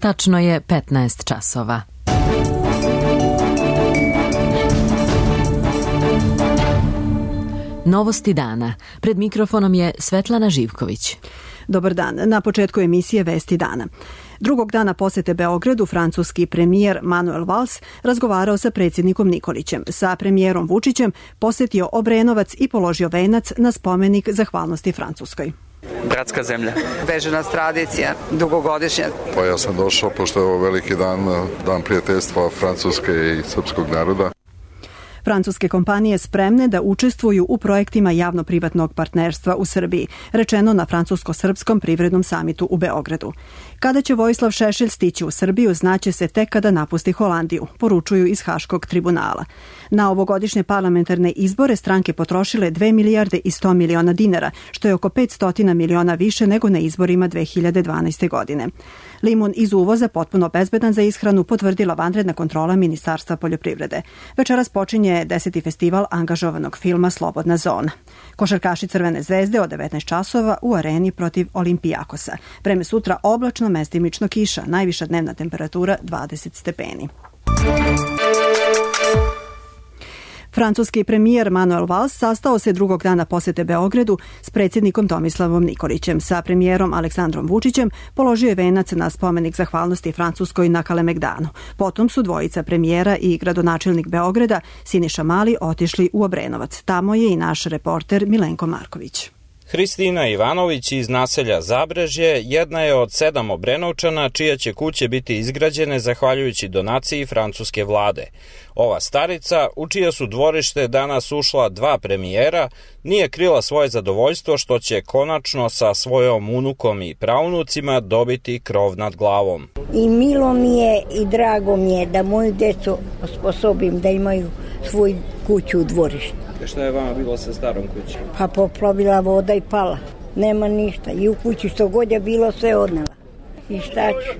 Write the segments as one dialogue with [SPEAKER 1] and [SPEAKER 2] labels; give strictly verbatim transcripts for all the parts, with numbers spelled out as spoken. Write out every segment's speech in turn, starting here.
[SPEAKER 1] Tačno je petnaest časova. Novosti dana. Pred mikrofonom je Svetlana Živković.
[SPEAKER 2] Dobar dan. Na početku emisije Vesti dana. Drugog dana posete Beogradu francuski premijer Manuel Valls razgovarao sa predsjednikom Nikolićem. Sa premijerom Vučićem posetio Obrenovac i položio venac na spomenik zahvalnosti Francuskoj.
[SPEAKER 3] Bratska zemlja.
[SPEAKER 4] Veže nas tradicija, dugogodišnja.
[SPEAKER 5] Pa ja sam došao, pošto je ovo veliki dan, dan prijateljstva Francuske i srpskog naroda.
[SPEAKER 2] Francuske kompanije spremne da učestvuju u projektima javno-privatnog partnerstva u Srbiji, rečeno na francusko-srpskom privrednom samitu u Beogradu. Kada će Vojislav Šešelj stići u Srbiju, znaće se tek kada napusti Holandiju, poručuju iz Haškog tribunala. Na ovogodišnje parlamentarne izbore stranke potrošile dve milijarde i sto miliona dinara, što je oko petsto miliona više nego na izborima dve hiljade dvanaeste. godine. Limun iz uvoza, potpuno bezbedan za ishranu, potvrdila vanredna kontrola Ministarstva poljoprivrede. Večeras počinje deseti festival angažovanog filma Slobodna zona. Košarkaši Crvene zvezde od devetnaest časova u areni protiv Olimpijakosa. Vreme sutra oblačno, mestimično kiša, najviša dnevna temperatura dvadeset stepeni. Francuski premijer Manuel Valls sastao se drugog dana posete Beogradu s predsjednikom Tomislavom Nikolićem. Sa premijerom Aleksandrom Vučićem položio je venac na spomenik zahvalnosti Francuskoj na Kalemegdanu. Potom su dvojica premijera i gradonačelnik Beograda Siniša Mali otišli u Obrenovac. Tamo je i naš reporter Milenko Marković.
[SPEAKER 6] Hristina Ivanović iz naselja Zabrežje jedna je od sedam Obrenovčana čija će kuće biti izgrađene zahvaljujući donaciji francuske vlade. Ova starica, u čija su dvorište danas ušla dva premijera, nije krila svoje zadovoljstvo što će konačno sa svojom unukom i praunucima dobiti krov nad glavom.
[SPEAKER 7] I milo mi je i drago mi je da moju decu osposobim da imaju svoju kuću u dvorištu.
[SPEAKER 6] Šta je vama bilo sa starom kućom?
[SPEAKER 7] Pa poplavila voda i pala. Nema ništa. I u kući što god je bilo sve odnela. I šta ću?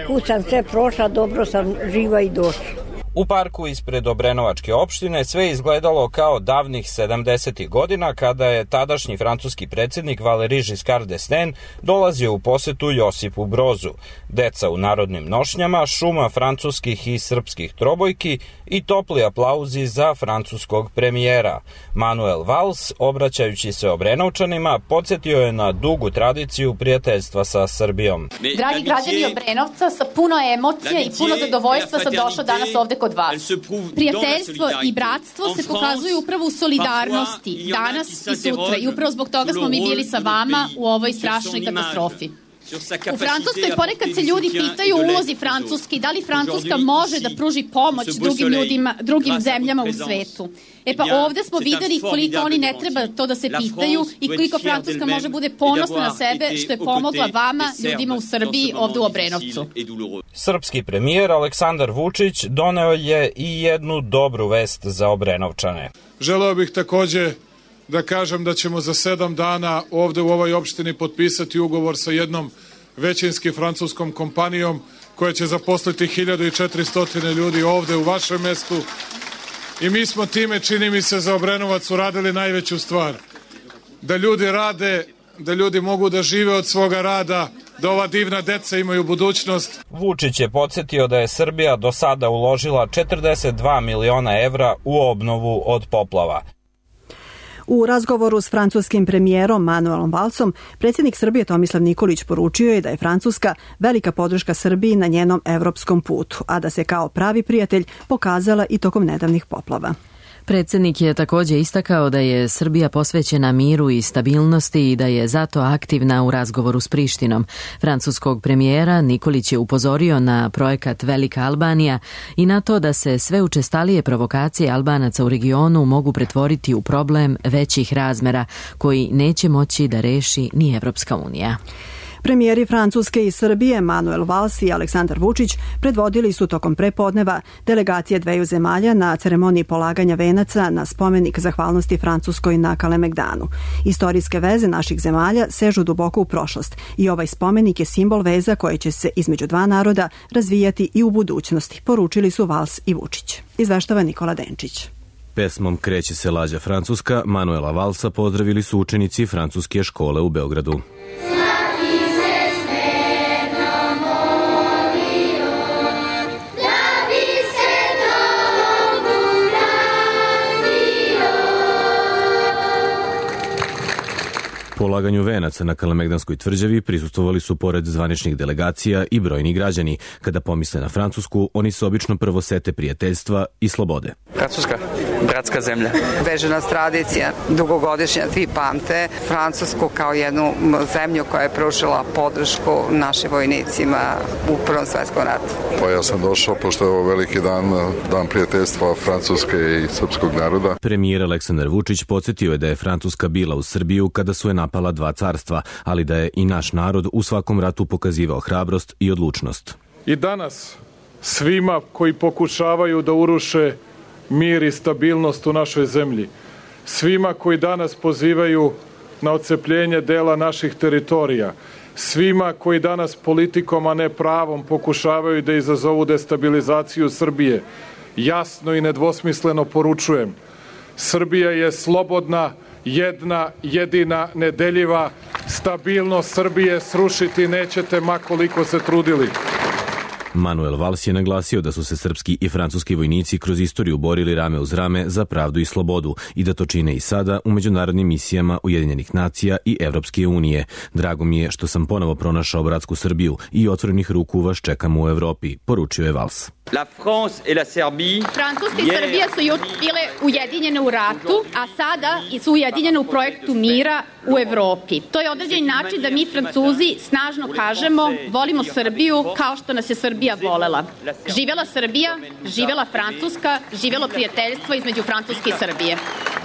[SPEAKER 7] Kud sam sve prošla, dobro sam živa i došla.
[SPEAKER 6] U parku ispred Obrenovačke opštine sve izgledalo kao davnih sedamdesetih godina kada je tadašnji francuski predsjednik Valéry Giscard d'Estaing dolazio u posetu Josipu Brozu. Deca u narodnim nošnjama, šuma francuskih i srpskih trobojki i topli aplauzi za francuskog premijera. Manuel Valls, obraćajući se Obrenovčanima, podsjetio je na dugu tradiciju prijateljstva sa Srbijom.
[SPEAKER 8] Dragi građani Obrenovca, sa puno emocija i puno zadovoljstva sam došla danas ovde kod vas. Prijateljstvo i bratstvo se pokazuju upravo u solidarnosti danas i sutra i upravo zbog toga smo mi bili sa vama u ovoj strašnoj katastrofi. U Francuskoj ponekad se ljudi pitaju o ulozi Francuske i da li Francuska može da pruži pomoć drugim ljudima, drugim zemljama u svetu. E pa ovde smo videli koliko oni ne treba to da se pitaju i koliko Francuska može bude ponosna na sebe što je pomogla vama, ljudima u Srbiji, ovde u Obrenovcu.
[SPEAKER 6] Srpski premijer Aleksandar Vučić doneo je i jednu dobru vest za Obrenovčane.
[SPEAKER 9] Želeo bih takođe da kažem da ćemo za sedam dana ovde u ovoj opštini potpisati ugovor sa jednom većinski francuskom kompanijom koja će zaposliti hiljadu i četiristo ljudi ovde u vašem mestu. I mi smo time, čini mi se, za Obrenovac uradili najveću stvar. Da ljudi rade, da ljudi mogu da žive od svoga rada, da ova divna deca imaju budućnost.
[SPEAKER 6] Vučić je podsjetio da je Srbija do sada uložila četrdeset dva miliona evra u obnovu od poplava.
[SPEAKER 2] U razgovoru s francuskim premijerom Manuelom Vallsom, predsjednik Srbije Tomislav Nikolić poručio je da je Francuska velika podrška Srbiji na njenom evropskom putu, a da se kao pravi prijatelj pokazala i tokom nedavnih poplava.
[SPEAKER 1] Predsjednik je također istakao da je Srbija posvećena miru i stabilnosti i da je zato aktivna u razgovoru s Prištinom. Francuskog premijera Nikolić je upozorio na projekat Velika Albanija i na to da se sve učestalije provokacije Albanaca u regionu mogu pretvoriti u problem većih razmera koji neće moći da reši ni Evropska unija.
[SPEAKER 2] Premijeri Francuske i Srbije Manuel Valls i Aleksandar Vučić predvodili su tokom prepodneva delegacije dveju zemalja na ceremoniji polaganja venaca na spomenik zahvalnosti Francuskoj na Kalemegdanu. Istorijske veze naših zemalja sežu duboko u prošlost i ovaj spomenik je simbol veza koje će se između dva naroda razvijati i u budućnosti, poručili su Valls i Vučić. Izveštava Nikola Denčić.
[SPEAKER 10] Pesmom Kreće se lađa Francuska Manuela Vallsa pozdravili su učenici francuske škole u Beogradu. polaganju venaca na Kalemegdanskoj tvrđavi prisustvovali su pored zvaničnih delegacija i brojni građani. Kada pomisle na Francusku, oni se obično prvo sete prijateljstva i slobode.
[SPEAKER 4] Francuska, bratska zemlja. Veže nas tradicija, dugogodišnja, svi pamte Francusku kao jednu zemlju koja je pružila podršku našim vojnicima u Prvom svetskom ratu.
[SPEAKER 5] Pa ja sam došao, pošto je ovo veliki dan, dan prijateljstva Francuske i srpskog naroda.
[SPEAKER 10] Premijer Aleksandar Vučić podsjetio je da je Francuska bila u Srbiju kada su je napala dva carstva, ali da je i naš narod u svakom ratu pokazivao hrabrost i odlučnost.
[SPEAKER 9] I danas svima koji pokušavaju da uruše mir i stabilnost u našoj zemlji, svima koji danas pozivaju na odcepljenje dela naših teritorija, svima koji danas politikom, a ne pravom, pokušavaju da izazovu destabilizaciju Srbije, jasno i nedvosmisleno poručujem: Srbija je slobodna, jedna, jedina, nedeljiva. Stabilnost Srbije srušiti nećete ma koliko se trudili.
[SPEAKER 10] Manuel Valls je naglasio da su se srpski i francuski vojnici kroz istoriju borili rame uz rame za pravdu i slobodu i da to čine i sada u međunarodnim misijama Ujedinjenih nacija i Evropske unije. Drago mi je što sam ponovo pronašao bratsku Srbiju i otvorenih ruku vas čekam u Evropi, poručio je Valls.
[SPEAKER 3] La France et la Serbie.
[SPEAKER 8] Francuska i Srbija su bile ujedinjene u ratu, a sada su ujedinjene u projektu mira u Evropi. To je određeni način da mi Francuzi snažno kažemo volimo Srbiju kao što nas je Srbija volela. Živela Srbija, živela Francuska, živelo prijateljstvo između Francuske i Srbije.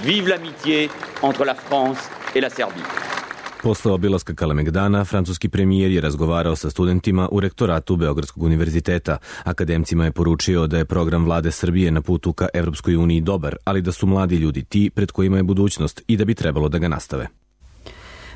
[SPEAKER 3] Vive l'amitié entre la France et la Serbie.
[SPEAKER 10] Posle obilaska Kalemegdana, francuski premijer je razgovarao sa studentima u rektoratu Beogradskog univerziteta. Akademcima je poručio da je program vlade Srbije na putu ka Evropskoj uniji dobar, ali da su mladi ljudi ti pred kojima je budućnost i da bi trebalo da ga nastave.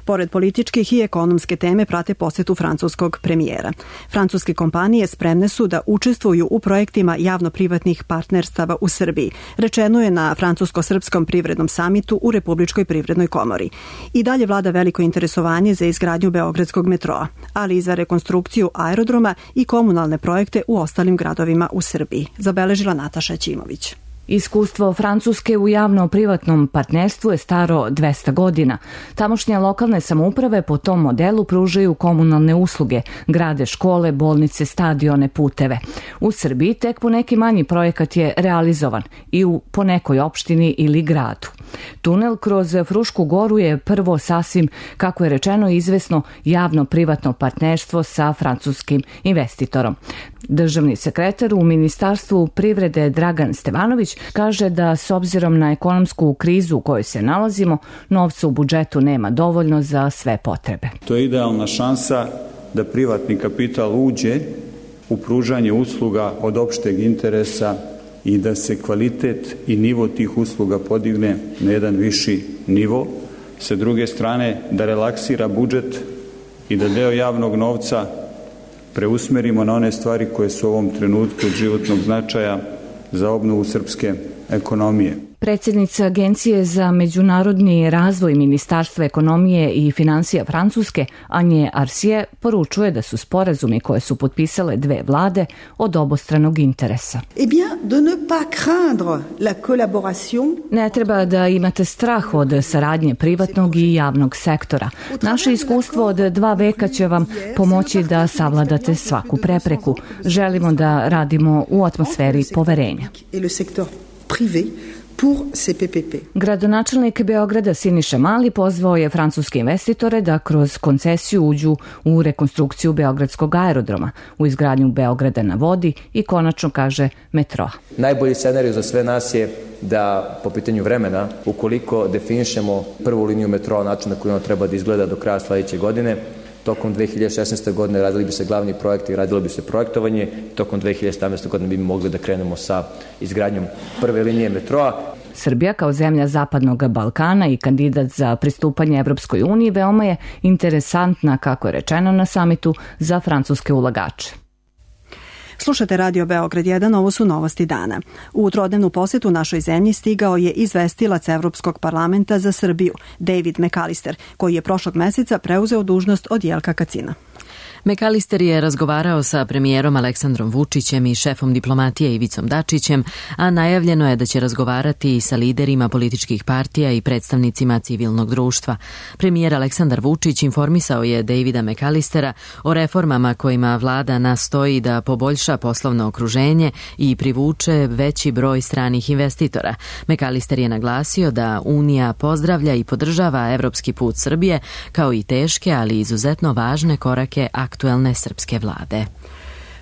[SPEAKER 2] Pored političkih i ekonomske teme prate posetu francuskog premijera. Francuske kompanije spremne su da učestvuju u projektima javno-privatnih partnerstava u Srbiji, rečeno je na francusko-srpskom privrednom samitu u Republičkoj privrednoj komori. I dalje vlada veliko interesovanje za izgradnju Beogradskog metroa, ali i za rekonstrukciju aerodroma i komunalne projekte u ostalim gradovima u Srbiji, zabeležila Nataša Ćimović.
[SPEAKER 11] Iskustvo Francuske u javno-privatnom partnerstvu je staro dvesta godina. Tamošnje lokalne samouprave po tom modelu pružaju komunalne usluge, grade škole, bolnice, stadione, puteve. U Srbiji tek po neki manji projekat je realizovan i u po nekoj opštini ili gradu. Tunel kroz Frušku goru je prvo sasvim, kako je rečeno, izvesno javno-privatno partnerstvo sa francuskim investitorom. Državni sekretar u Ministarstvu privrede Dragan Stevanović kaže da s obzirom na ekonomsku krizu u kojoj se nalazimo, novca u budžetu nema dovoljno za sve potrebe.
[SPEAKER 12] To je idealna šansa da privatni kapital uđe u pružanje usluga od opšteg interesa i da se kvalitet i nivo tih usluga podigne na jedan viši nivo. Sa druge strane, da relaksira budžet i da deo javnog novca preusmerimo na one stvari koje su u ovom trenutku od životnog značaja za obnovu srpske ekonomije.
[SPEAKER 11] Predsjednica Agencije za međunarodni razvoj Ministarstva ekonomije i financija Francuske, Anje Arsije, poručuje da su sporazumi koje su potpisale dve vlade od obostranog interesa. Ne treba da imate strah od saradnje privatnog i javnog sektora. Naše iskustvo od dva veka će vam pomoći da savladate svaku prepreku. Želimo da radimo u atmosferi poverenja. Gradonačelnik Beograda Siniša Mali pozvao je francuske investitore da kroz koncesiju uđu u rekonstrukciju Beogradskog aerodroma, u izgradnju Beograda na vodi i konačno, kaže, metroa.
[SPEAKER 13] Najbolji scenarij za sve nas je da po pitanju vremena, ukoliko definišemo prvu liniju metroa, način na koji ona treba da izgleda do kraja sledeće godine, tokom dve hiljade šesnaeste. godine radili bi se glavni projekti, radilo bi se projektovanje, tokom dve hiljade sedamnaeste. godine bi mogli da krenemo sa izgradnjom prve linije metroa.
[SPEAKER 11] Srbija kao zemlja Zapadnog Balkana i kandidat za pristupanje Evropskoj uniji veoma je interesantna, kako je rečeno na samitu, za francuske ulagače.
[SPEAKER 2] Slušate Radio Beograd jedan, ovo su novosti dana. U trodnevnu posetu našoj zemlji stigao je izvestilac Evropskog parlamenta za Srbiju, David McAllister, koji je prošlog meseca preuzeo dužnost od Jelka Kacina.
[SPEAKER 1] McAllister je razgovarao sa premijerom Aleksandrom Vučićem i šefom diplomatije Ivicom Dačićem, a najavljeno je da će razgovarati i sa liderima političkih partija i predstavnicima civilnog društva. Premijer Aleksandar Vučić informisao je Davida McAllistera o reformama kojima vlada nastoji da poboljša poslovno okruženje i privuče veći broj stranih investitora. McAllister je naglasio da Unija pozdravlja i podržava evropski put Srbije, kao i teške, ali izuzetno važne korake aktuelne srpske vlade.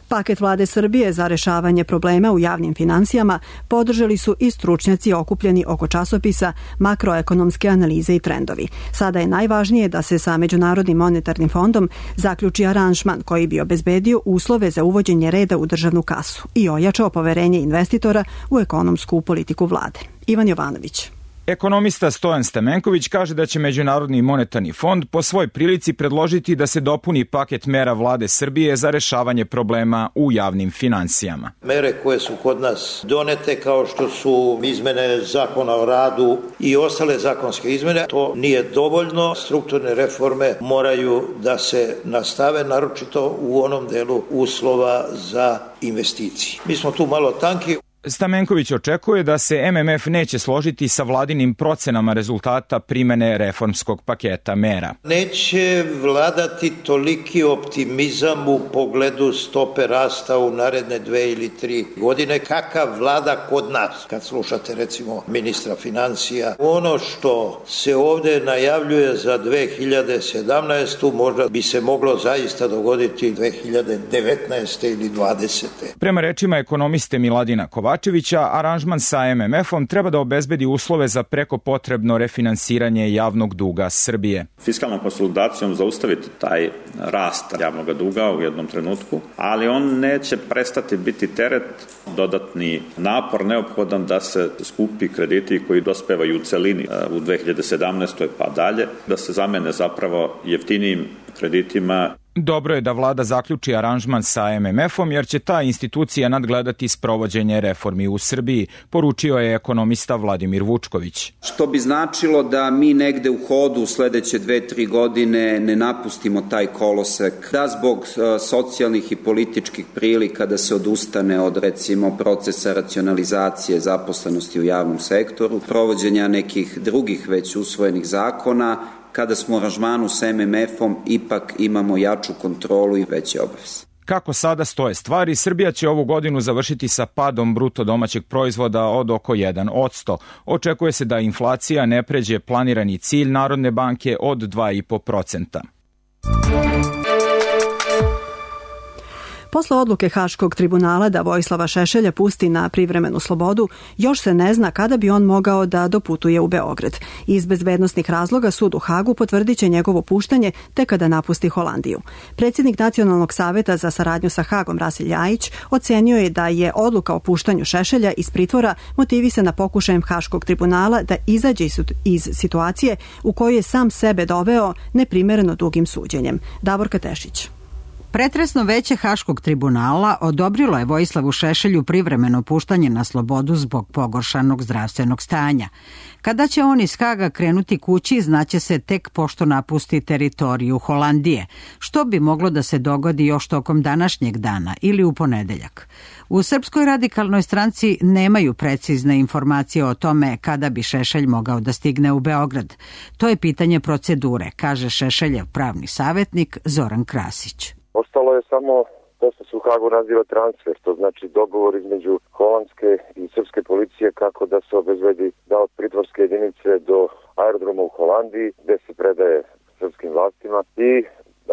[SPEAKER 2] Paket vlade Srbije za rešavanje problema u javnim finansijama podržali su i stručnjaci okupljeni oko časopisa Makroekonomske analize i trendovi. Sada je najvažnije da se sa Međunarodnim monetarnim fondom zaključi aranžman koji bi obezbedio uslove za uvođenje reda u državnu kasu i ojačao poverenje investitora u ekonomsku politiku vlade. Ivan Jovanović.
[SPEAKER 14] Ekonomista Stojan Stamenković kaže da će Međunarodni monetarni fond po svoj prilici predložiti da se dopuni paket mera vlade Srbije za rešavanje problema u javnim finansijama.
[SPEAKER 15] Mere koje su kod nas donete, kao što su izmene zakona o radu i ostale zakonske izmene, to nije dovoljno. Strukturne reforme moraju da se nastave, naročito u onom delu uslova za investicije. Mi smo tu malo tanki.
[SPEAKER 14] Stamenković očekuje da se M M F neće složiti sa vladinim procenama rezultata primene reformskog paketa mera.
[SPEAKER 15] Neće vladati toliki optimizam u pogledu stope rasta u naredne dve ili tri godine kakav vlada kod nas. Kad slušate recimo ministra financija, ono što se ovde najavljuje za dve hiljade sedamnaestu možda bi se moglo zaista dogoditi dve hiljade devetnaeste ili dvadesete.
[SPEAKER 14] Prema rečima ekonomiste Miladina Kovačevića, aranžman sa M M F-om treba da obezbedi uslove za preko potrebno refinansiranje javnog duga Srbije.
[SPEAKER 16] Fiskalnom konsolidacijom zaustaviti taj rast javnog duga u jednom trenutku, ali on neće prestati biti teret, dodatni napor neophodan da se skupi krediti koji dospevaju u celini u dve hiljade sedamnaestoj pa dalje, da se zamene zapravo jeftinijim kreditima.
[SPEAKER 14] Dobro je da vlada zaključi aranžman sa M M F-om jer će ta institucija nadgledati sprovođenje reformi u Srbiji, poručio je ekonomista Vladimir Vučković.
[SPEAKER 17] Što bi značilo da mi negde u hodu u sledeće dve, tri godine ne napustimo taj kolosek, da zbog socijalnih i političkih prilika da se odustane od recimo procesa racionalizacije zaposlenosti u javnom sektoru, provođenja nekih drugih već usvojenih zakona, kada smo u aranžmanu s M M F-om ipak imamo jaču kontrolu i veće obaveze.
[SPEAKER 14] Kako sada stoje stvari, Srbija će ovu godinu završiti sa padom bruto domaćeg proizvoda od oko jedan posto. Očekuje se da inflacija ne pređe planirani cilj Narodne banke od dva i po procenta.
[SPEAKER 2] Posle odluke Haškog tribunala da Vojislava Šešelja pusti na privremenu slobodu, još se ne zna kada bi on mogao da doputuje u Beograd. Iz bezbednosnih razloga sud u Hagu potvrdit će njegovo puštanje tek kada napusti Holandiju. Predsjednik Nacionalnog saveta za saradnju sa Hagom Rasil Ljajić ocenio je da je odluka o puštanju Šešelja iz pritvora motivisana pokušajem Haškog tribunala da izađe iz situacije u kojoj je sam sebe doveo neprimereno dugim suđenjem. Davorka Tešić.
[SPEAKER 18] Pretresno veće Haškog tribunala odobrilo je Vojislavu Šešelju privremeno puštanje na slobodu zbog pogoršanog zdravstvenog stanja. Kada će on iz Haga krenuti kući, znaće se tek pošto napusti teritoriju Holandije, što bi moglo da se dogodi još tokom današnjeg dana ili u ponedeljak. U Srpskoj radikalnoj stranci nemaju precizne informacije o tome kada bi Šešelj mogao da stigne u Beograd. To je pitanje procedure, kaže Šešeljev pravni savjetnik Zoran Krasić.
[SPEAKER 19] Ostalo je samo to što se u Hagu naziva transfer, to znači dogovor između holandske i srpske policije kako da se obezbedi da od pritvorske jedinice do aerodroma u Holandiji gde se predaje srpskim vlastima i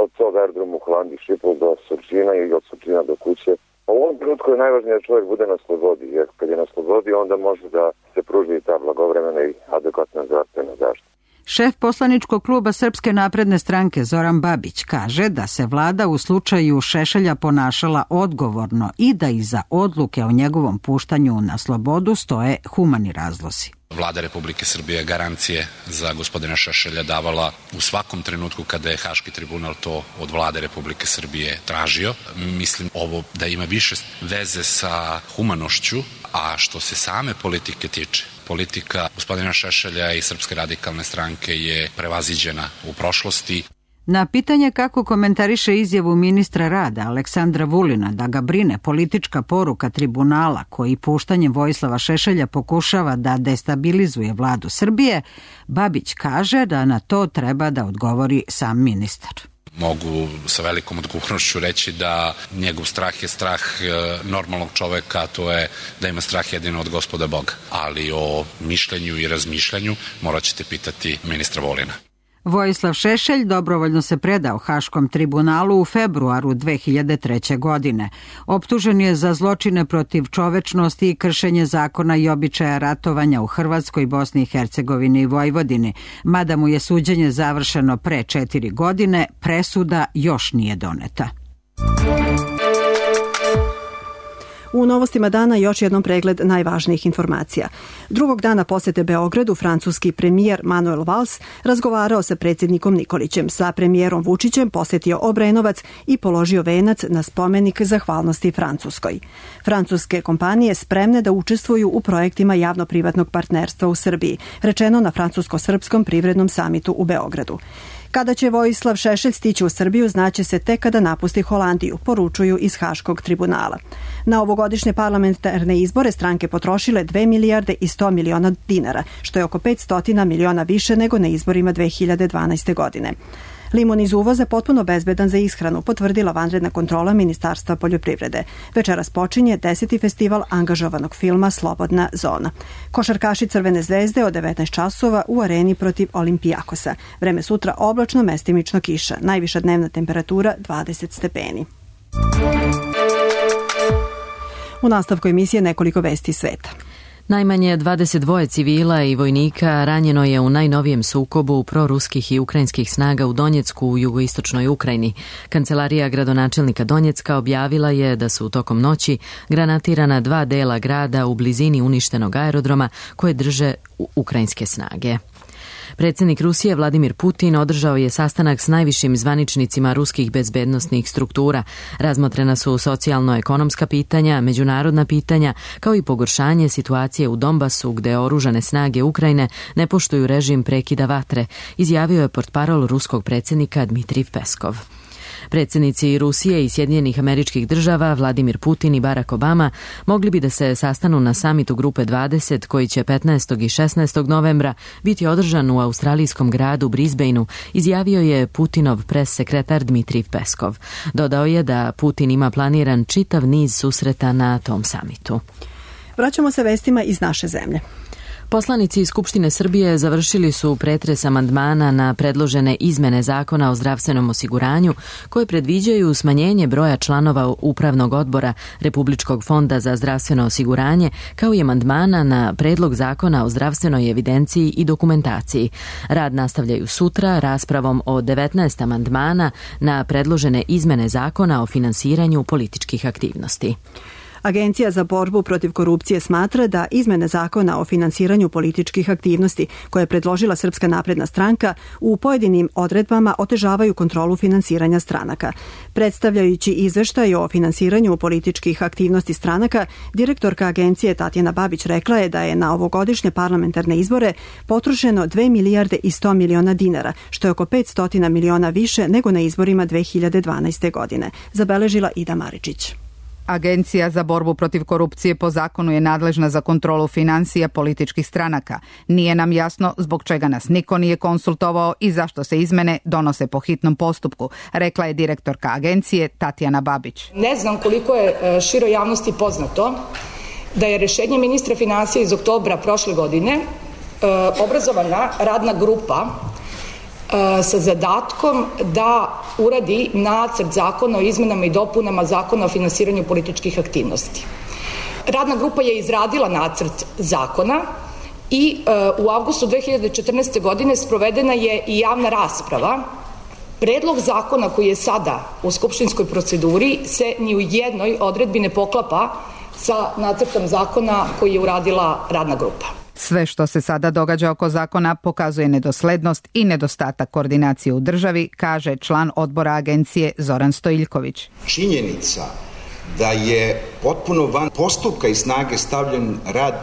[SPEAKER 19] od tog aerodroma u Holandiji Šipol do Surčina i od Surčina do kuće. U ovom trenutku je najvažnije da čovjek bude na slobodi, jer kad je na slobodi onda može da se pruži ta blagovremena i adekvatna zdravstvena zaštita.
[SPEAKER 18] Šef poslaničkog kluba Srpske napredne stranke Zoran Babić kaže da se vlada u slučaju Šešelja ponašala odgovorno i da iza odluke o njegovom puštanju na slobodu stoje humani razlozi.
[SPEAKER 20] Vlada Republike Srbije garancije za gospodina Šešelja davala u svakom trenutku kada je Haški tribunal to od Vlade Republike Srbije tražio. Mislim ovo da ima više veze sa humanošću, a što se same politike tiče, politika gospodina Šešelja i Srpske radikalne stranke je prevaziđena u prošlosti.
[SPEAKER 18] Na pitanje kako komentariše izjavu ministra rada Aleksandra Vulina da ga brine politička poruka tribunala koji puštanjem Vojislava Šešelja pokušava da destabilizuje vladu Srbije, Babić kaže da na to treba da odgovori sam ministar.
[SPEAKER 20] Mogu sa velikom odgovornošću reći da njegov strah je strah normalnog čoveka, a to je da ima strah jedino od Gospoda Boga. Ali o mišljenju i razmišljanju morat ćete pitati ministra Vulina.
[SPEAKER 18] Vojislav Šešelj dobrovoljno se predao Haškom tribunalu u februaru dve hiljade treće. godine. Optužen je za zločine protiv čovečnosti i kršenje zakona i običaja ratovanja u Hrvatskoj, Bosni i Hercegovini i Vojvodini. Mada mu je suđenje završeno pre četiri godine, presuda još nije doneta.
[SPEAKER 2] U novostima dana još jednom pregled najvažnijih informacija. Drugog dana posete Beogradu francuski premijer Manuel Valls razgovarao sa predsjednikom Nikolićem. Sa premijerom Vučićem posetio Obrenovac i položio venac na spomenik zahvalnosti Francuskoj. Francuske kompanije spremne da učestvuju u projektima javno-privatnog partnerstva u Srbiji, rečeno na francusko-srpskom privrednom samitu u Beogradu. Kada će Vojislav Šešelj stići u Srbiju, znaće se tek kada napusti Holandiju, poručuju iz Haškog tribunala. Na ovogodišnje parlamentarne izbore stranke potrošile dve milijarde i sto miliona dinara, što je oko petsto miliona više nego na izborima dve hiljade dvanaeste. godine. Limun iz uvoza potpuno bezbedan za ishranu, potvrdila vanredna kontrola Ministarstva poljoprivrede. Večeras počinje deseti festival angažovanog filma Slobodna zona. Košarkaši Crvene zvezde od devetnaest časova u areni protiv Olimpijakosa. Vreme sutra oblačno, mestimično kiša. Najviša dnevna temperatura dvadeset stepeni. U nastavku emisije nekoliko vesti sveta.
[SPEAKER 1] Najmanje dvadeset dva civila i vojnika ranjeno je u najnovijem sukobu proruskih i ukrajinskih snaga u Donjecku u jugoistočnoj Ukrajini. Kancelarija gradonačelnika Donjecka objavila je da su tokom noći granatirana dva dela grada u blizini uništenog aerodroma koje drže ukrajinske snage. Predsjednik Rusije Vladimir Putin održao je sastanak s najvišim zvaničnicima ruskih bezbednosnih struktura. Razmotrena su socijalno-ekonomska pitanja, međunarodna pitanja, kao i pogoršanje situacije u Donbasu gde oružane snage Ukrajine ne poštuju režim prekida vatre, izjavio je portparol ruskog predsjednika Dmitrij Peskov. Predsjednici Rusije i Sjedinjenih Američkih Država, Vladimir Putin i Barack Obama, mogli bi da se sastanu na samitu Grupe dvadeset koji će petnaestog i šesnaestog novembra biti održan u australijskom gradu Brisbaneu, izjavio je Putinov pres sekretar Dmitrij Peskov. Dodao je da Putin ima planiran čitav niz susreta na tom samitu.
[SPEAKER 2] Vraćamo se vestima iz naše zemlje.
[SPEAKER 1] Poslanici iz Skupštine Srbije završili su pretres amandmana na predložene izmene Zakona o zdravstvenom osiguranju koje predviđaju smanjenje broja članova Upravnog odbora Republičkog fonda za zdravstveno osiguranje, kao i amandmana na predlog Zakona o zdravstvenoj evidenciji i dokumentaciji. Rad nastavljaju sutra raspravom o devetnaest amandmana na predložene izmene Zakona o finansiranju političkih aktivnosti.
[SPEAKER 2] Agencija za borbu protiv korupcije smatra da izmene Zakona o finansiranju političkih aktivnosti koje je predložila Srpska napredna stranka u pojedinim odredbama otežavaju kontrolu finansiranja stranaka. Predstavljajući izveštaj o finansiranju političkih aktivnosti stranaka, direktorka agencije Tatjana Babić rekla je da je na ovogodišnje parlamentarne izbore potrošeno dve milijarde i sto miliona dinara, što je oko petsto miliona više nego na izborima dve hiljade dvanaeste. godine, zabeležila Ida Maričić.
[SPEAKER 21] Agencija za borbu protiv korupcije po zakonu je nadležna za kontrolu finansija političkih stranaka. Nije nam jasno zbog čega nas niko nije konsultovao i zašto se izmene donose po hitnom postupku, rekla je direktorka agencije Tatjana Babić.
[SPEAKER 22] Ne znam koliko je široj javnosti poznato da je rešenje ministra finansija iz oktobra prošle godine obrazovana radna grupa sa zadatkom da uradi nacrt zakona o izmenama i dopunama Zakona o finansiranju političkih aktivnosti. Radna grupa je izradila nacrt zakona i u avgustu dve hiljade četrnaeste. godine sprovedena je i javna rasprava. Predlog zakona koji je sada u skupštinskoj proceduri se ni u jednoj odredbi ne poklapa sa nacrtom zakona koji je uradila radna grupa.
[SPEAKER 21] Sve što se sada događa oko zakona pokazuje nedoslednost i nedostatak koordinacije u državi, kaže član odbora agencije Zoran Stojiljković.
[SPEAKER 23] Činjenica
[SPEAKER 6] da je potpuno van postupka i snage stavljen rad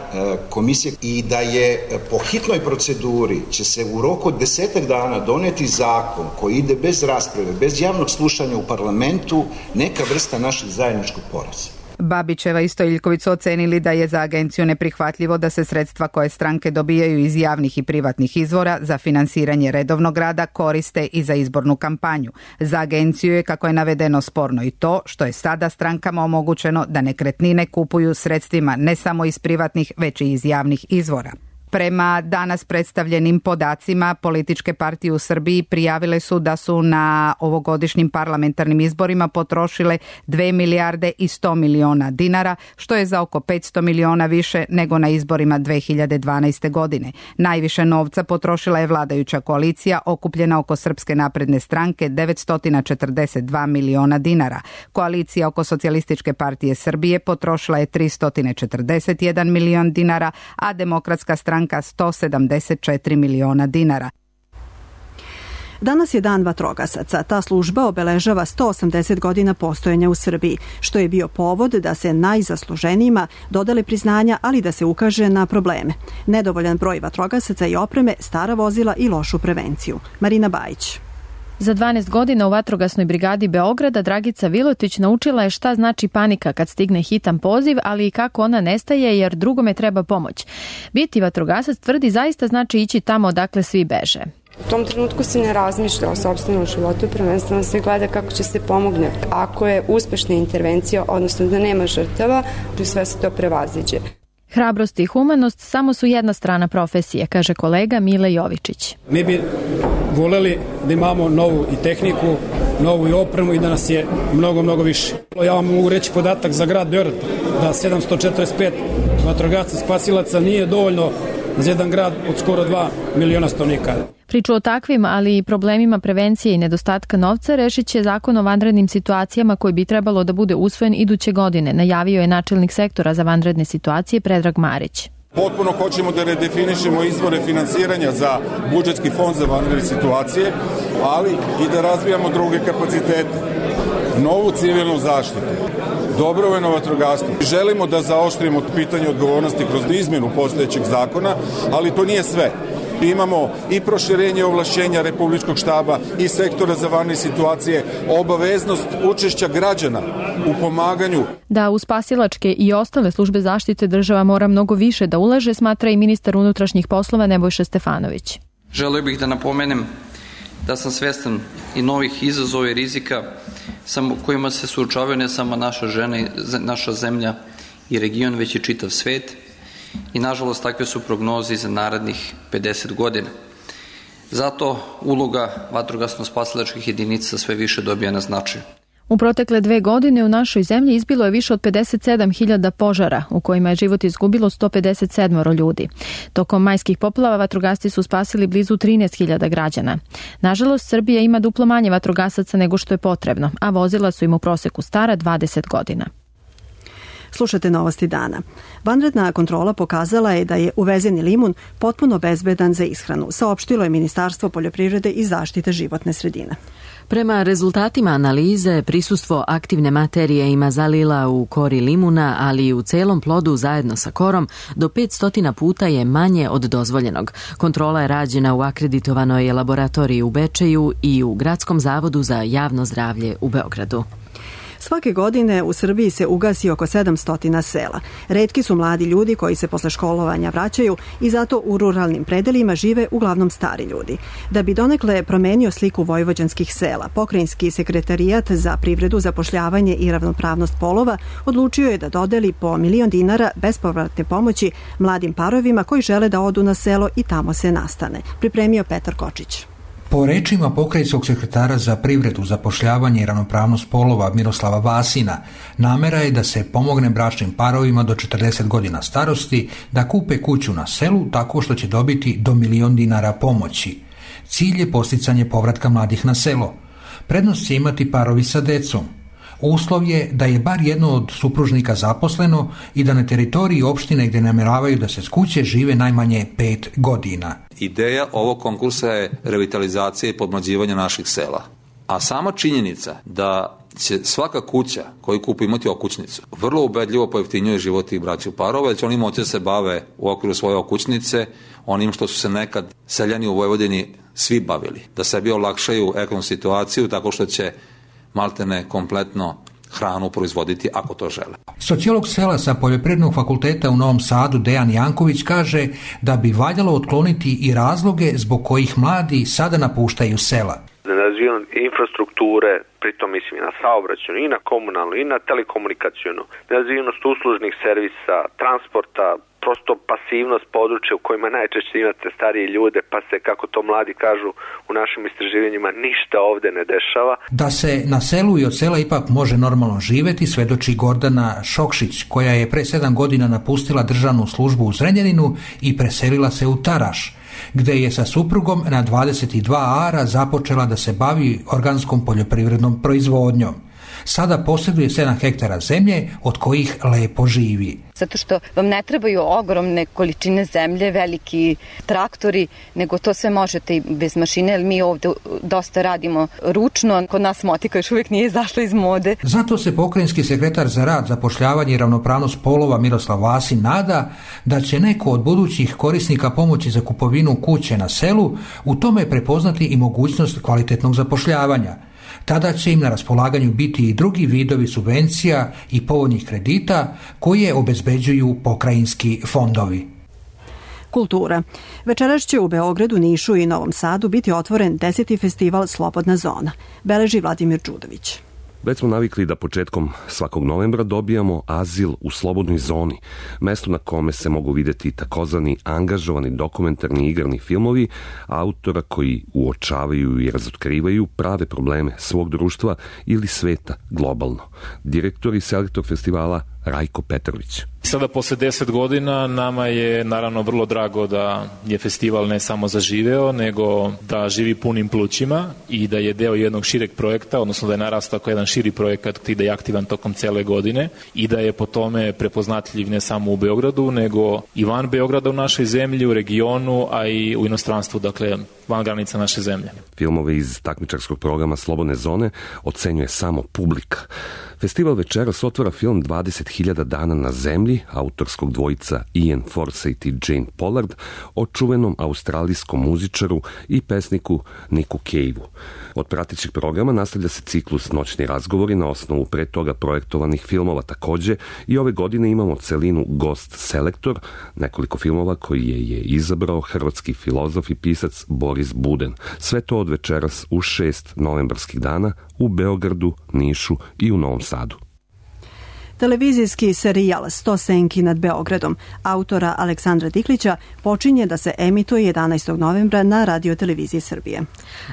[SPEAKER 6] komisije i da je po hitnoj proceduri će se u roku od desetak dana doneti zakon koji ide bez rasprave, bez javnog slušanja u parlamentu, neka vrsta našeg zajedničkog poraza.
[SPEAKER 21] Babićeva i Stojiljković su ocenili da je za agenciju neprihvatljivo da se sredstva koje stranke dobijaju iz javnih i privatnih izvora za finansiranje redovnog rada koriste i za izbornu kampanju. Za agenciju je, kako je navedeno, sporno i to što je sada strankama omogućeno da nekretnine kupuju sredstvima ne samo iz privatnih, već i iz javnih izvora. Prema danas predstavljenim podacima, političke partije u Srbiji prijavile su da su na ovogodišnjim parlamentarnim izborima potrošile dve milijarde i sto miliona dinara, što je za oko petsto miliona više nego na izborima dve hiljade dvanaeste. godine. Najviše novca potrošila je vladajuća koalicija, okupljena oko Srpske napredne stranke, devetsto četrdeset dva miliona dinara. Koalicija oko Socijalističke partije Srbije potrošila je tristo četrdeset jedan milion dinara, a Demokratska stranka sto sedamdeset četiri miliona dinara.
[SPEAKER 2] Danas je dan vatrogasaca. Ta služba obeležava sto osamdeset godina postojanja u Srbiji, što je bio povod da se najzasluženijima dodale priznanja, ali da se ukaže na probleme. Nedovoljan broj vatrogasaca i opreme, stara vozila i lošu prevenciju. Marina Bajić.
[SPEAKER 7] Za dvanaest godina u vatrogasnoj brigadi Beograda Dragica Vilotić naučila je šta znači panika kad stigne hitan poziv, ali i kako ona nestaje jer drugome treba pomoć. Biti vatrogasac, tvrdi, zaista znači ići tamo odakle svi beže.
[SPEAKER 23] U tom trenutku se ne razmišlja o sopstvenom životu, prvenstveno se gleda kako će se pomogne. Ako je uspešna intervencija, odnosno da nema žrtava, sve se to prevaziđe.
[SPEAKER 7] Hrabrost i humanost samo su jedna strana profesije, kaže kolega Mile Jovičić.
[SPEAKER 24] Mi bi voleli da imamo novu i tehniku, novu i opremu i da nas je mnogo, mnogo više. Ja vam mogu reći podatak za grad Beograd da sedamsto četrdeset pet vatrogasaca spasilaca nije dovoljno za jedan grad od skoro dva miliona stanovnika.
[SPEAKER 7] Priču o takvim, ali i problemima prevencije i nedostatka novca rešit će zakon o vanrednim situacijama koji bi trebalo da bude usvojen iduće godine, najavio je načelnik sektora za vanredne situacije Predrag Marić.
[SPEAKER 25] Potpuno hoćemo da redefinišemo izvore finansiranja za budžetski fond za vanredne situacije, ali i da razvijamo druge kapacitete, novu civilnu zaštitu, dobrovoljno vatrogastvo. Želimo da zaoštrimo pitanje odgovornosti kroz izmjenu postojećeg zakona, ali to nije sve. Imamo i proširenje ovlašćenja Republičkog štaba i sektora za vanredne situacije, obaveznost učešća građana u pomaganju.
[SPEAKER 7] Da u spasilačke i ostale službe zaštite država mora mnogo više da ulaže, smatra i ministar unutrašnjih poslova Nebojša Stefanović.
[SPEAKER 26] Želeo bih da napomenem da sam svestan i novih izazova i rizika kojima se suočavaju ne samo naša žena, naša zemlja i region, već i čitav svet. I nažalost takve su prognoze za narednih pedeset godina. Zato uloga vatrogasno-spasilačkih jedinica sve više dobija na značaju.
[SPEAKER 7] U protekle dve godine u našoj zemlji izbilo je više od pedeset sedam hiljada požara, u kojima je život izgubilo sto pedeset sedam ljudi. Tokom majskih poplava vatrogasci su spasili blizu trinaest hiljada građana. Nažalost, Srbija ima duplo manje vatrogasaca nego što je potrebno, a vozila su im u proseku stara dvadeset godina.
[SPEAKER 2] Slušate novosti dana. Vanredna kontrola pokazala je da je uvezeni limun potpuno bezbedan za ishranu, saopštilo je Ministarstvo poljoprivrede i zaštite životne sredine.
[SPEAKER 1] Prema rezultatima analize, prisustvo aktivne materije ima zalila u kori limuna, ali i u celom plodu zajedno sa korom do petsto puta je manje od dozvoljenog. Kontrola je rađena u akreditovanoj laboratoriji u Bečeju i u Gradskom zavodu za javno zdravlje u Beogradu.
[SPEAKER 2] Svake godine u Srbiji se ugasi oko sedamsto sela. Retki su mladi ljudi koji se posle školovanja vraćaju i zato u ruralnim predelima žive uglavnom stari ljudi. Da bi donekle promenio sliku vojvođanskih sela, Pokrajinski sekretarijat za privredu, zapošljavanje i ravnopravnost polova odlučio je da dodeli po milion dinara bespovratne pomoći mladim parovima koji žele da odu na selo i tamo se nastane. Pripremio Petar Kočić.
[SPEAKER 27] Po rečima pokrajinskog sekretara za privredu, zapošljavanje i ravnopravnost polova Miroslava Vasina, namera je da se pomogne bračnim parovima do četrdeset godina starosti da kupe kuću na selu tako što će dobiti do milion dinara pomoći. Cilj je posticanje povratka mladih na selo. Prednost će imati parovi sa decom. Uslov je da je bar jedno od supružnika zaposleno i da na teritoriji opštine gdje nameravaju da se s kuće žive najmanje pet godina.
[SPEAKER 28] Ideja ovog konkursa je revitalizacija i podmlađivanje naših sela.
[SPEAKER 3] A sama činjenica da će svaka kuća koju kupi imati okućnicu vrlo ubedljivo pojeftinjuje život tih braćih parova, jer će oni moći da se bave u okviru svoje okućnice onim što su se nekad seljani u Vojvodini svi bavili. Da sebi olakšaju ekonomsku situaciju tako što će maltene kompletno hranu proizvoditi ako to žele.
[SPEAKER 27] Sociolog sela sa Poljoprivrednog fakulteta u Novom Sadu Dejan Janković kaže da bi valjalo otkloniti i razloge zbog kojih mladi sada napuštaju sela.
[SPEAKER 4] Nerazvijenost infrastrukture, pritom mislim i na saobraćajnu, i na komunalnu, i na telekomunikacijnu, nerazvijenost uslužnih servisa, transporta, prosto pasivnost područja u kojima najčešće imate starije ljude, pa se, kako to mladi kažu u našim istraživanjima, ništa ovde ne dešava.
[SPEAKER 27] Da se na selu i od sela ipak može normalno živeti, svedoči Gordana Šokšić, koja je pre sedam godina napustila državnu službu u Zrenjaninu i preselila se u Taraš, gde je sa suprugom na dvadeset dva ara započela da se bavi organskom poljoprivrednom proizvodnjom. Sada posjeduje sedam hektara zemlje od kojih lepo živi.
[SPEAKER 5] Zato što vam ne trebaju ogromne količine zemlje, veliki traktori, nego to sve možete i bez mašine, jer mi ovdje dosta radimo ručno. Kod nas motika još uvijek nije izašla iz mode.
[SPEAKER 27] Zato se pokrajinski sekretar za rad, zapošljavanje i ravnopravnost polova Miroslav Vasin nada da će neko od budućih korisnika pomoći za kupovinu kuće na selu u tome prepoznati i mogućnost kvalitetnog zapošljavanja. Tada će im na raspolaganju biti i drugi vidovi subvencija i povoljnih kredita koje obezbeđuju pokrajinski fondovi.
[SPEAKER 2] Kultura. Večeras će u Beogradu, Nišu i Novom Sadu biti otvoren deseti festival Slobodna zona. Beleži Vladimir Đudović.
[SPEAKER 8] Već smo navikli da početkom svakog novembra dobijamo azil u slobodnoj zoni, mesto na kome se mogu vidjeti takozvani angažovani dokumentarni igrani filmovi autora koji uočavaju i razotkrivaju prave probleme svog društva ili sveta globalno. Direktor i selektor festivala Rajko Petrović.
[SPEAKER 9] Sada posle deset godina nama je naravno vrlo drago da je festival ne samo zaživeo, nego da živi punim plućima i da je deo jednog šireg projekta, odnosno da je narastao kao jedan širi projekat i da je aktivan tokom cele godine i da je po tome prepoznatljiv ne samo u Beogradu, nego i van Beograda u našoj zemlji, u regionu, a i u inostranstvu, dakle van granica naše zemlje.
[SPEAKER 8] Filmove iz takmičarskog programa Slobodne zone ocenjuje samo publika. Festival večeras otvara film dvadeset hiljada dana na zemlji autorskog dvojica Ian Forsythe i Jane Pollard o čuvenom australijskom muzičaru i pesniku Nicku Cave-u. Od pratećeg programa nastavlja se ciklus Noćni razgovori na osnovu pre toga projektovanih filmova. Takođe i ove godine imamo celinu Gost Selektor, nekoliko filmova koji je, je izabrao hrvatski filozof i pisac Boris Buden. Sve to od večeras u šest novembarskih dana u Beogradu, Nišu i u Novom Sadu.
[SPEAKER 2] Televizijski serijal Sto senki nad Beogradom autora Aleksandra Diklića počinje da se emituje jedanaestog novembra na radioteleviziji Srbije.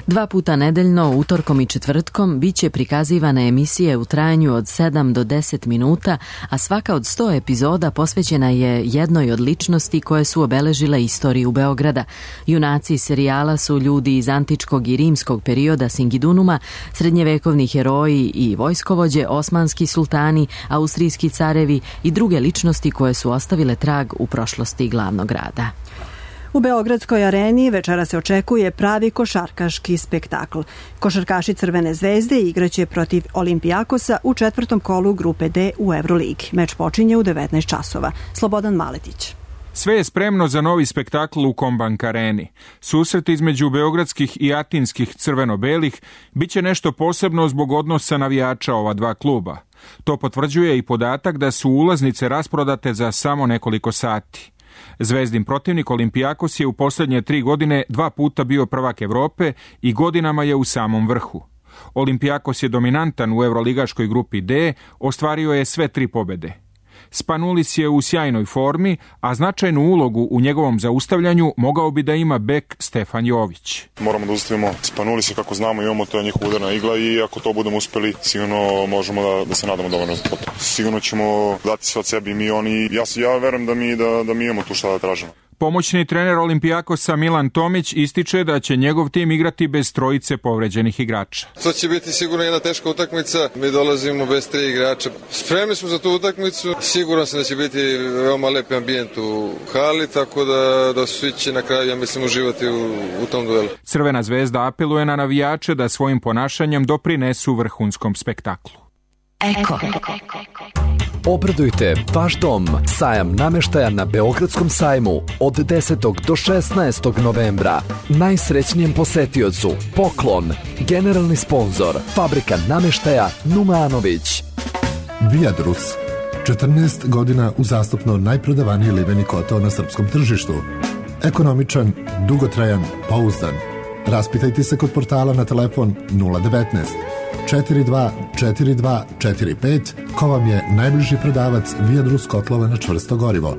[SPEAKER 1] Dva puta nedeljno, utorkom i četvrtkom, bit će prikazivane emisije u trajanju od sedam do deset minuta, a svaka od sto epizoda posvećena je jednoj od ličnosti koje su obeležile istoriju Beograda. Junaci serijala su ljudi iz antičkog i rimskog perioda Singidunuma, srednjevekovni heroji i vojskovođe, osmanski sultani, austrijski carevi i druge ličnosti koje su ostavile trag u prošlosti glavnog grada.
[SPEAKER 2] U Beogradskoj areni večera se očekuje pravi košarkaški spektakl. Košarkaši Crvene zvezde igraće protiv Olimpijakosa u četvrtom kolu grupe D u Euroligi. Meč počinje u devetnaest časova. Slobodan Maletić.
[SPEAKER 14] Sve je spremno za novi spektakl u Kombank areni. Susret između beogradskih i atinskih crveno-belih biće nešto posebno zbog odnosa navijača ova dva kluba. To potvrđuje i podatak da su ulaznice rasprodate za samo nekoliko sati. Zvezdin protivnik Olimpijakos je u posljednje tri godine dva puta bio prvak Evrope i godinama je u samom vrhu. Olimpijakos je dominantan u evroligaškoj grupi D, ostvario je sve tri pobede. Spanulis je u sjajnoj formi, a značajnu ulogu u njegovom zaustavljanju mogao bi da ima bek Stefan Jović.
[SPEAKER 10] Moramo da ustavimo Spanulisa kako znamo, imamo to njihova udarna igla i ako to budemo uspeli, sigurno možemo da, da se nadamo dovoljno za to. Sigurno ćemo dati sve od sebi i mi oni, ja, ja verujem da mi, da, da mi imamo tu šta da tražimo.
[SPEAKER 14] Pomoćni trener Olimpijakosa Milan Tomić ističe da će njegov tim igrati bez trojice povređenih igrača.
[SPEAKER 11] To će biti sigurno jedna teška utakmica. Mi dolazimo bez tri igrača. Spremni smo za tu utakmicu. Siguran sam da će biti veoma lep ambijent u hali, tako da, da svi će na kraju, ja mislim, uživati u, u tom duelu.
[SPEAKER 14] Crvena zvezda apeluje na navijače da svojim ponašanjem doprinesu vrhunskom spektaklu.
[SPEAKER 12] Eko. Obradujte vaš dom. Sajam nameštaja na Beogradskom sajmu od desetog do šesnaestog novembra. Najsrećnijem posetiocu poklon. Generalni sponzor Fabrika nameštaja Numanović.
[SPEAKER 13] Viadrus. četrnaest godina uzastopno najprodavaniji liveni kotao na srpskom tržištu. Ekonomičan, dugotrajan, pouzdan. Raspitajte se kod portala na telefon nula devetnaest četiri dva četiri dva četiri pet ko vam je najbliži prodavac Viadrus kotlova na čvrsto gorivo.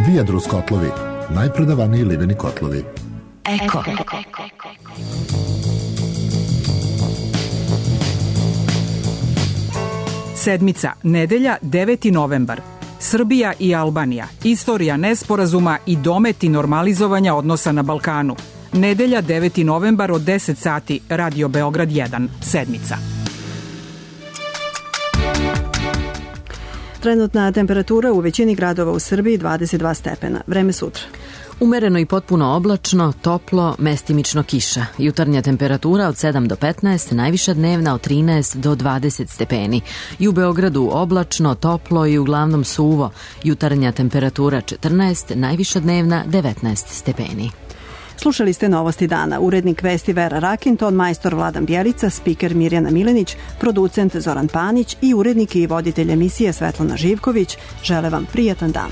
[SPEAKER 13] Viadrus kotlovi, najprodavaniji liveni kotlovi.
[SPEAKER 12] Eko.
[SPEAKER 15] Sedmica, nedelja, deveti novembar. Srbija i Albanija. Istorija nesporazuma i dometi normalizovanja odnosa na Balkanu. Nedelja, deveti novembar od deset sati, Radio Beograd jedan, sedmica.
[SPEAKER 2] Trenutna temperatura u većini gradova u Srbiji dvadeset dva stepena. Vreme sutra.
[SPEAKER 1] Umereno i potpuno oblačno, toplo, mestimično kiša. Jutarnja temperatura od sedam do petnaest, najviša dnevna od trinaest do dvadeset stepeni. I u Beogradu oblačno, toplo i uglavnom suvo. Jutarnja temperatura četrnaest, najviša dnevna devetnaest stepeni.
[SPEAKER 2] Slušali ste Novosti dana. Urednik vesti Vera Rakin, ton majstor Vladan Bjelica, spiker Mirjana Milenić, producent Zoran Panić i urednik i voditelj emisije Svetlana Živković. Žele vam prijatan dan.